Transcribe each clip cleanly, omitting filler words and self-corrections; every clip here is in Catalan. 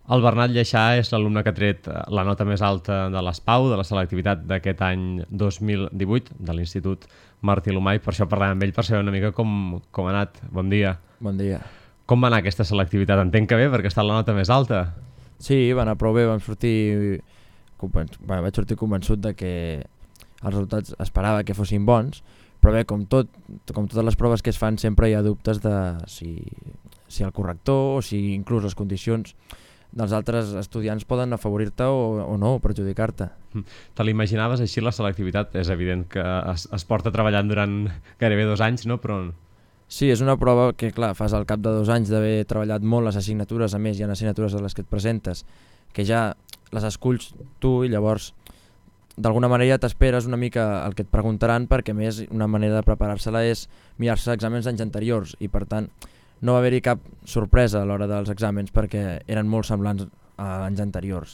El Bernat Lleixà és l'alumne que ha tret la nota més alta de l'ESPAU, de la selectivitat d'aquest any 2018, de l'Institut Martí Lomai. Per això parlem amb ell, per saber una mica com ha anat. Bon dia. Bon dia. Com va anar aquesta selectivitat? Entenc que bé, perquè està la nota més alta. Sí, va anar prou bé. Vaig sortir convençut de que els resultats esperava que fossin bons, però bé, com totes les proves que es fan, sempre hi ha dubtes de si el corrector o si inclús les condicions dels altres estudiants poden afavorir-te o no, o perjudicar-te. Te l'imaginaves així, la selectivitat? És evident que es porta treballant durant gairebé 2 anys, no? Però... Sí, és una prova que, clar, fas al cap de 2 anys d'haver treballat molt les assignatures, a més hi ha assignatures a les que et presentes, que ja les esculls tu i llavors d'alguna manera t'esperes una mica el que et preguntaran, perquè a més una manera de preparar-se-la és mirar-se exàmens d'anys anteriors i per tant no va haver-hi cap sorpresa a l'hora dels exàmens perquè eren molt semblants a anys anteriors.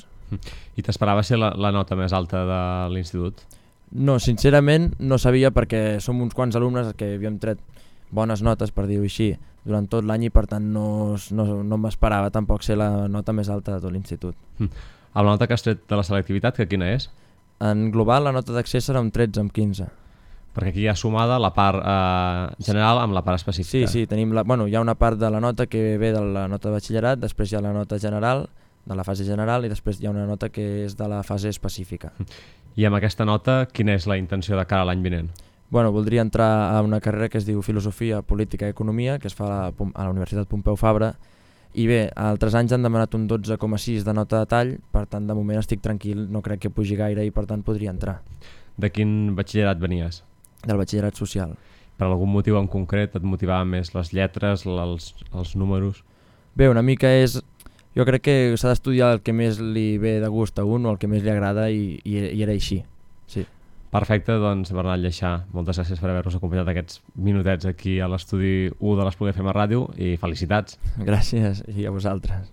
I t'esperaves ser la nota més alta de l'institut? No, sincerament no sabia, perquè som uns quants alumnes que havíem tret bones notes, per dir-ho així, durant tot l'any i per tant no m'esperava tampoc ser la nota més alta de tot l'institut. La nota que has tret de la selectivitat, que quina és? En global la nota d'accés serà un 13 amb 15. Perquè aquí hi ha sumada la part general amb la part específica. Sí, hi ha una part de la nota que ve de la nota de batxillerat, després hi ha la nota general, de la fase general, i després hi ha una nota que és de la fase específica. I amb aquesta nota, quina és la intenció de cara a l'any vinent? Voldria entrar a una carrera que es diu Filosofia, Política i Economia, que es fa a la Universitat Pompeu Fabra, i bé, altres anys han demanat un 12,6 de nota de tall, per tant de moment estic tranquil, no crec que pugi gaire i per tant podria entrar. De quin batxillerat venies? Del batxillerat social. Per algun motiu en concret et motivaven més les lletres, els números? Bé, una mica és... Jo crec que s'ha d'estudiar el que més li ve de gust a un o el que més li agrada i era així, sí. Perfecte, doncs Bernat Lleixà, moltes gràcies per haver-nos acompanyat aquests minutets aquí a l'estudi 1 de l'Espluguer FM Ràdio i felicitats. Gràcies, i a vosaltres.